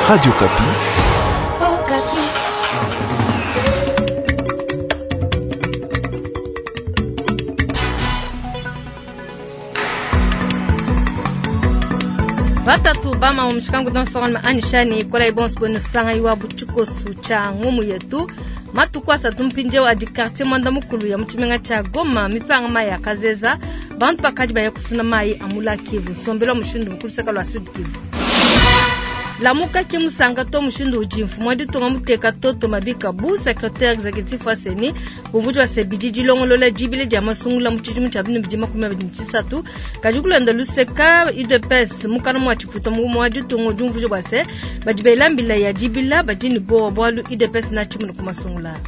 Radio Okapi. Batatu bama omushikangu dansonga anishani kola ibonso bwenu sanga iwa butshikosu tsha ngumu yetu matuku asatu mpindieu adi quartier mwanda mukulu ya mutshimenga tsha Goma mipanga mayi akazeza bantu bakadi baya kusuna mayi amula Kivu nsombelu wa mushindu mukuluseka lua Sud Kivu. Lamuka ke musanga to mushindu udi mfumu wa ditunga muteka Toto Mabika bu secretaire executif wa CENI bumvudi wa sebidi dilongolola dibile dia masungula mu tshidimu tshia binu bidi 2023 kadi kulonda luseka UDPS mukana mwa tshiputa mu wa ditunga udi umvuija bua se badi bela mbila ya dibila badi ne bowa bualu UDPS na tshimuna ku masungula.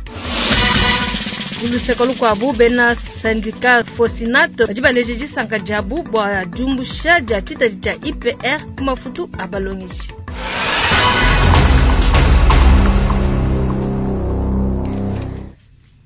Kuluseka lukuabu bena syndicat Fosinat badi baleja disanka diabu bua diumbusha dia tshitadi tshia IPR ku mafutu a balongeshi.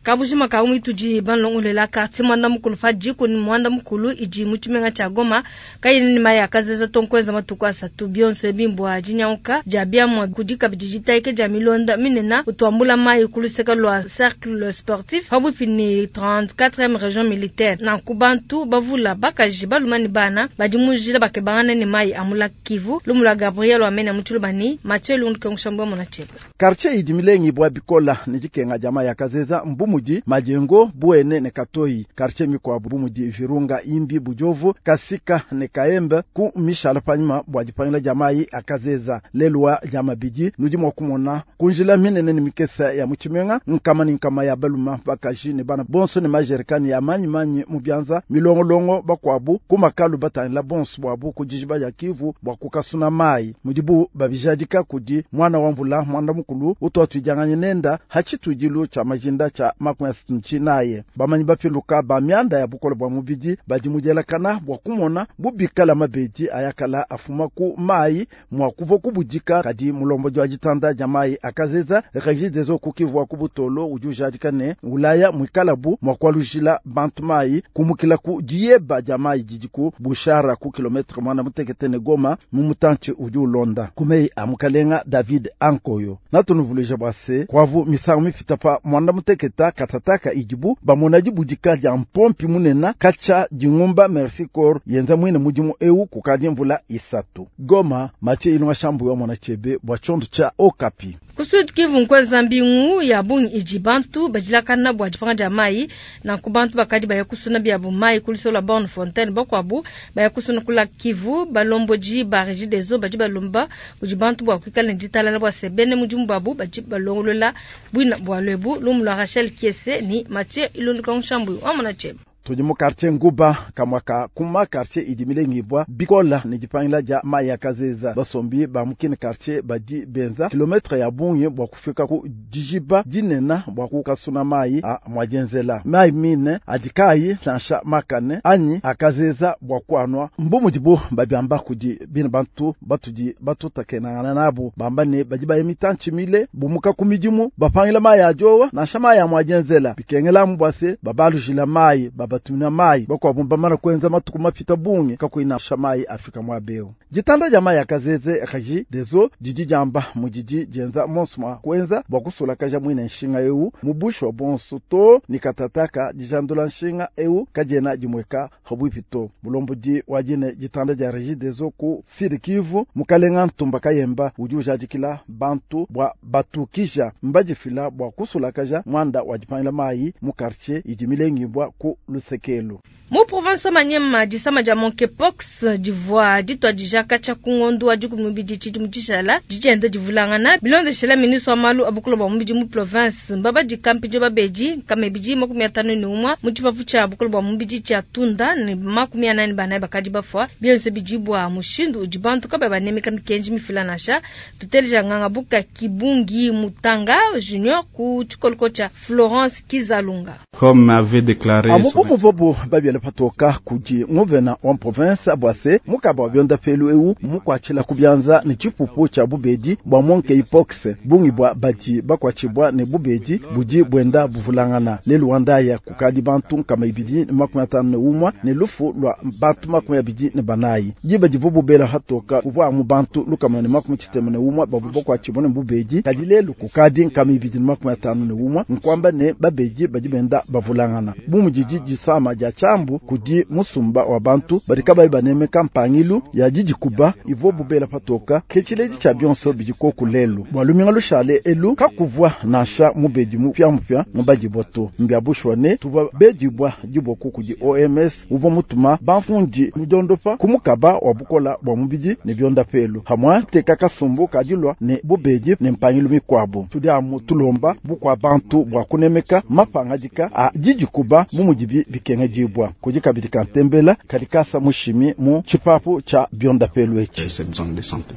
Kabujima ka umwe tudi banlongolela quartier mwanda mukulu fa jiko ni mwanda mukulu idi mu tshimenga tsha Goma kayini ni maya kazeza tonkweza matuku asatu bionse bimbwa jinyauka dia biamwa kudi kabidi jitaike dia milonda minena utuambula mayi kuluseka lwa cercle sportif pabuipi ni 34e region militaire nanku bantu bavula bakaji baluma ni bana badi mujila bakebangana ni mayi amula Kivu lumula Gabriel wamena mutshilubani Mathieu Lundu kengushambwa mona chebe quartier idi milengi bwa bikola ni dikenga dia mayi akazeza mbumudi majengo buene ne katoyi quartier mikwabu bumudi virunga imbi bujovu kasika ne kaembe ku mishala panyima bwa dipangila dia mayi akazeza lelwa dia mabidi nudi mwa kumona kunjila minene ne mikesa ya mutshimenga nkama ne nkama ya baluma bakaji ne bana bonso ne majerikani ya manyi manyi mu bianza milongolongo bakwabu kumakalu batangila bonso bwabu ku dijiba dia Kivu bwa kukasuna mayi mudibu babijadika kudi mwana wa mvula mwanda mukulu utwatwijanganye nenda hachitujilu cha majinda cha 69 bamanyi bapiluka ba mianda ya bukolo bwa mubidi badi mudielakana bwa kumona bubikala mabedi ayakala afuma ku mayi mwa kuva kubudika kadi mulombo jwa jitanda ja mayi akazeza Regideso kukivwa ku butolo udi ujadika ne ulaya mwikalabu mwa kwalujila bantu mayi kumukila ku diyeba ja mayi didi ku bushara ku kilometre mwana mutekete ne Goma mu mutanchi udi ulonda kumei amukalenga David Ankoyo natunuvuluija bwa se kwavu misangu mipita pa mwanda muteketa katataka idibu bamona dibudika dia mpompi munena kacha dingumba Merci Corps yenza mwine mudimu eu kukadi mvula isatu Goma Mathieu Ilunga Shambu wa mwana chebe bwa chondo cha Okapi. Ku Sud Kivu nkweza mbingu ya bungi idi bantu badilakana bua dipanga dia mayi nanku bantu bakadi baya kusuna biabu mayi kulisola Borne Fontaine bakwabu baya kusuna kula Kivu balomboji ba Regideso badi balomba kudi bantu bua kuikala ne ditalala bua sebene mudimu babu badi balongolola bwina bua lwebu lumu lwa Rachel Kiese ni Mathieu Ilunga Shambu wa mwana chebe. Tudi mu quartier Nguba kamwaka kuma quartier idi milengibwa bikola ne dipangila dia mayi akazeza basombi ba mukini quartier badi benza kilometre ya bungi bwa kufika ku dijiba dinena bwa kukasuna mayi a mwajenzela mayi mine adikayi nansha makane anyi akazeza bwa kwanwa mbumudibu babiamba kudi bina bantu batudi batutakenangana nabu bamba ne badi baye mitanchi mile bumuka ku midimu bapangila mayi ajowa nansha mayi a mwajenzela bikengela mbwase babalujila mayi babatumina mayi bakwabo bamana kwenza matuku mapita bungi kakuina shamayi afika mwabeo jitanda dia mayi akazeze Regideso didi diamba mudidi dienza monso mwa kwenza bwa kusulakaja mwine nshinga eu mubusho wa bonso to ni katataka dijandula nshinga eu kadiena dimweka habwipi to mulombodi wa dine jitanda dia Regideso ku Sud Kivu mukalenga Ntumba Kayemba udi ujadikila bantu bwa batukija mbadifila bwa kusulakaja mwanda wa dipangila mayi mu quartier idi milengibwa ku lusekelu. Mu province Maniema disama dia monkeypox divua ditwadija katshia ku ngondo wa dikumi mubidi tshidimu tshishala didienda divulangana bilondeshela ministre wa malu a bukulu bua mubidi mu province mbabadi kampindio babedi nkama 51 mu tshipapu tshia bukulu bua mubidi tshia Tunda ne 44 bakadi bafua bionse bidi bua mushindu udi bantu kabayi banemeka mikenji mifila nansha tuteleja nganga buka Kibungi Mutanga Junior ku tshikoloko tshia Florence Kizalunga. Comme avait déclaré Amubu Bumuvobu babiele patoka kudi nguvena wa province bua se mukaba wa byondapelu eu mukwatshila kubyanza ne tshipupu tshia bubedi bua monkeypox bungi bua badi bakwatshibwa ne bubedi budi bwenda buvulangana lelu wandaya kukadi bantu nkama ibidi ne 51 ne lufu lwa bantu 24 diba divubu bela hatoka kuvwa mu bantu lukama ne 61 babu bakwatshibwa ne bubedi kadi lelu kukadi nkama ibidi ne 51 nkwamba ne babedi badi benda bavulangana bumudidi disama dia chambu kudi musumba wa bantu badi kabayi banemeka mpangilu ya didikuba ivo bubela patoka kechiledi cha bionso bidiko lelu bwa luminga lushale elu kakuvwa nasha mubedi mupya mupya mubadi boto mbya bushwane tuva bedibwa diboku kudi OMS uvo mutuma banfundi mudondopa kumukaba wa bukola bwa mubidi ne byonda pelu hamwa teka kasumbu kadilwa ne bubedi ne mpangilu mikwabo tudi amu tulomba bukwa bantu bwa kunemeka mapangadika a didikuba mumudibi bikenge dibwa kudi kabidi kantembela kadikasa mushimi mu chipapu cha byonda pelu echi. Cette zone de santé.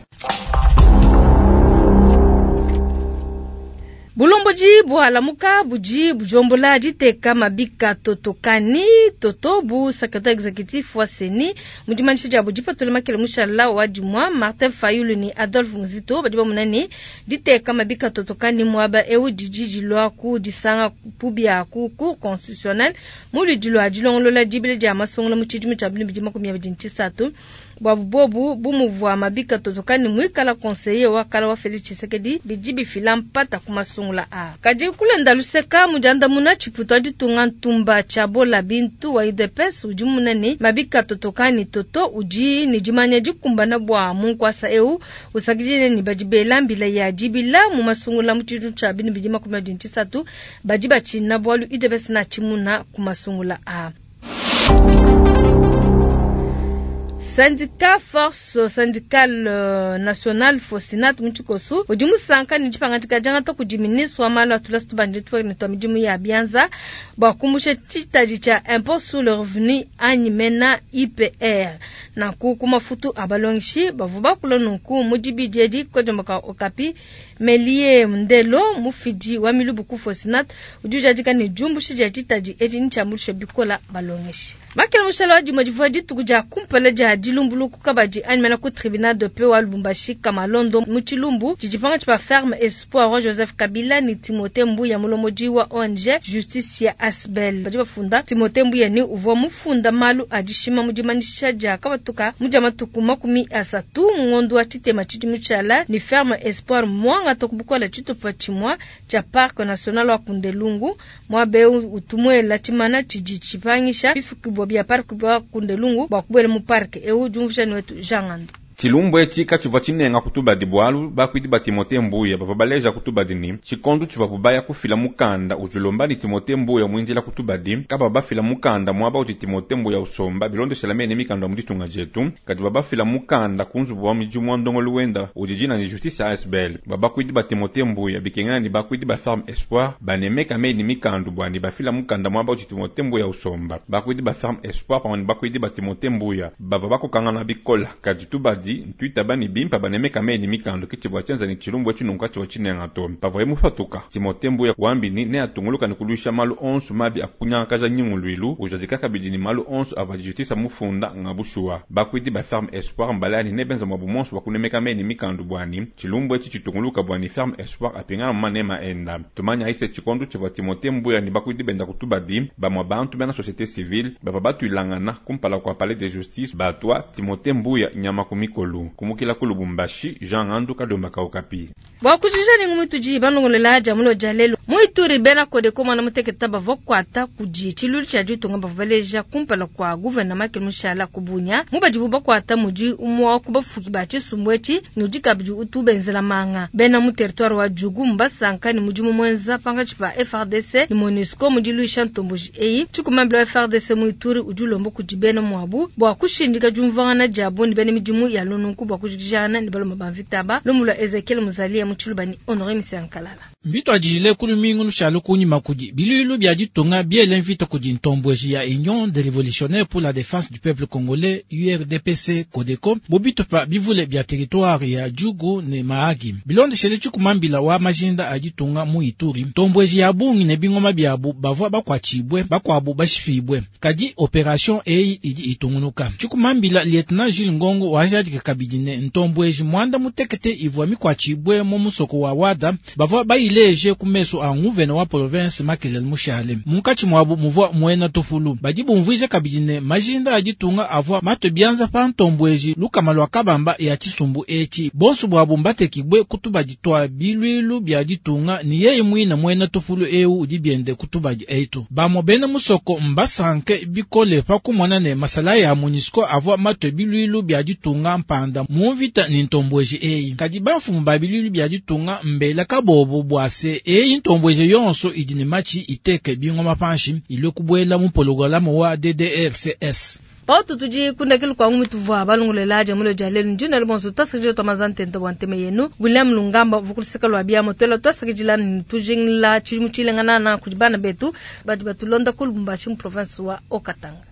Bulomboji bwalamuka budi bujombola diteka mabika totokani toto bu secrétaire exécutif wa CENI mudimanisha dia budi patula makele mushala wa dimwa Martin Fayulu ni Adolphe Muzito badi bamunani diteka mabika totokani mwaba eu didi lwa ku disanga pubia ku cour constitutionnelle mulidi lwa dilongolola dibile dia masongola mu tshidimu tshia 2023 bwabu bobu bumuvwa mabika totokani mwikala conseiller wa kala wa Felix Tshisekedi bidi bifila mpata kuma sungula a kadi kulenda luseka mujanda muna chiputo aditunga ntumba chabola bintu wa UDPS udi munene mabika totokani toto udi ni dimanya dikumbana bwa munkwasa eu usakidile ni badibela mbila ya dibila mu masungula mu tshidu tsha binu bidi 23 badi bachina bwalu UDPS na chimuna kumasungula a. Syndicat Force Syndicale Nationale Fosinat Mchikosu udi musanka ni dipangadika diangata kudi ministre wa malu atula situbandi ne twa midimu ya bianza bua kumbusha tshitadi tshia impôt sur le revenu anyi mena IPR nanku ku mafutu a balongishi bavua bakula nunku mu dibidi edi kodiomboka Okapi Melie Ndelo mufidi wa milubu ku Fosinat udi ujadika ne diumbusha dia tshitadi edi ntshiambuluishe bikola balongeshi. Makele mushala wa dimue divua dituku dia kumpala dia dilumbuluku kabadi anyi ku tribunal de paix wa Lubumbashi Kamalondo mu Tshilumbu tshidipanga tshipa ferme Espoir wa Joseph Kabila ni Timothée Mbuya mulomodi wa ONG Justice ya Asbel badi bafunda Timothée Mbuya ni uvua mufunda malu adishima mu dimanisha dia kabatuka mu dia matuku 30 ngondo wa tshitema tshidimu tshiala ni ferme Espoir mwanga tokubukola tshitupa tshimwa tshia parc national wa Kundelungu mwabe utumwela tshimana tshidi tshipangisha bifukibwa bya parc bwa Kundelungu bwa kubwela mu parc eu jumvishani wetu Jangando. Tshilumbu etshi katshivua tshinenga kutubadi bwalu bakwidi ba Timothée Mbuya bavua baleja kutubadi ni tshikondu tshivua bubaya kufila mukanda ujulomba ni Timothée Mbuya mwinjila kutubadi kaba bafila mukanda mwaba uti Timothée Mbuya usomba bilondeshela mene mikanda mu ditunga dietu kadi babafila mukanda kunzubu wa midimu wa ndongolu wenda udi ni justice ASBL babakwidi ba Timothée Mbuya bikengana ni bakwidi ba Ferme Espoir banemeka mene mikandu bwani bafila mukanda mwaba uti Timothée Mbuya usomba bakwidi ba Ferme Espoir pamwe bakwidi ba Timothée Mbuya bava bakokangana bikola kadi tubadi ntwita bani bimpa banemeka meni mikando kitibwa tyenza ni tshilumbu etshinunka tshiwa tshinenga to pavwaye mufatuka Timothée Mbuya wambini ne atunguluka ni kuluisha malu onso mabi akunyangakaja nyingulwilu ujadika kabidi ni malu onso ava justice mufunda ngabushuwa bakwidi ba Ferme Espoir mbalani ne benza mwabu monso bakunemeka meni mikando bwani tshilumbu etshi tshitunguluka bwani Ferme Espoir apingana manema enda tumanya ise tshikondu tshivua Timothée Mbuya ni bakwidi benda kutubadi bamwa bantu bena société civile bava batwilangana kumpala kwa palais de justice batwa Timothée Mbuya nyama kumikolo kumukila ku Lubumbashi Jean Ngandu Kadomba Kaukapi. Bwa kujija ni ngumutuji banongolela jamulo jalelo muituri bena kodeko mwana muteketa bavua kwata kudi tshilulu tshia ditunga bavua baleja kumpala kwa guvernema ke mushala kubunya mubadibu bakwata mudi umwa kubafuki ba tshisumbu etshi nudi kabidi utubenzela manga bena mu territoire wa Djugu mbasanka ni mudimu mwenza panga tshipa FRDC ni MONUSCO mudi luisha ntomboji eyi tshikumambila wa FRDC muituri udi ulomba kudi bena mwabu bwa kushindika diumvuangana diabu ni bena midimu ya lonunku bwa kujijana ni balomba bamvitaba lomula Ezekiel Muzalia mu Tshilubani Honoré Misankalala. Mbito adijile kuluminga lumingu lushala kunyima kudi biluilu bia ditunga biele mvita kudi ntombweji ya Union des Révolutionnaires pour la Défense du Peuple Congolais URDPC Codeco mu bitupa bivule bia territoire ya Djugu ne Mahagi. Bilondeshele tshikumambila wa majinda a ditunga mu Ituri, ntombweji ya bungi ne bingoma biabu bavua bakuatshibue bakuabu bashipibue. Kadi operation eyi idi itungunuka. Tshikumambila Lieutenant Jules Ngongo wajadika kabidi ne ntombweji mwanda mutekete ivua mikuatshibue mu musoko wa Wada bavua bayileje ku meso a nguvena wa province Makelele Mushale. Munkatshi muabu muvua muena tufulu. Badi bumvuija kabidi ne majinda a ditunga avua matue bianza pa ntombweji lukama lua kabamba ya tshisumbu etshi. Bonso buabu mbatekibue ku tubadi tua biluilu bia ditunga ni yeye muina muena tufulu eu udi biende ku tubadi etu. Bamue bena musoko mbasanke bikole pa kumona ne masalayi a MONUSCO avua matue biluilu bia ditunga mpanda mu mvita ni ntombweji eyi. Kadi bamfumu ba biluilu bia ditunga mbela kabobo bua se eyi ntombweji yonso idi ne matshi iteke bingoma panshi ilue kubuela mu pologolamu wa DDRCS. Pautu tudi kundekelu kwa ngumi tuvua balongolela dia mulo dia lelu ndina le bonso twasakidila twa maza ntente bua ntema yenu William Lungamba uvua kuluseka lua biamo twela twasakidila ne tujingila tshidimu tshilenganana kudi bana betu badi batulonda ku Lubumbashi mu province wa Haut-Katanga.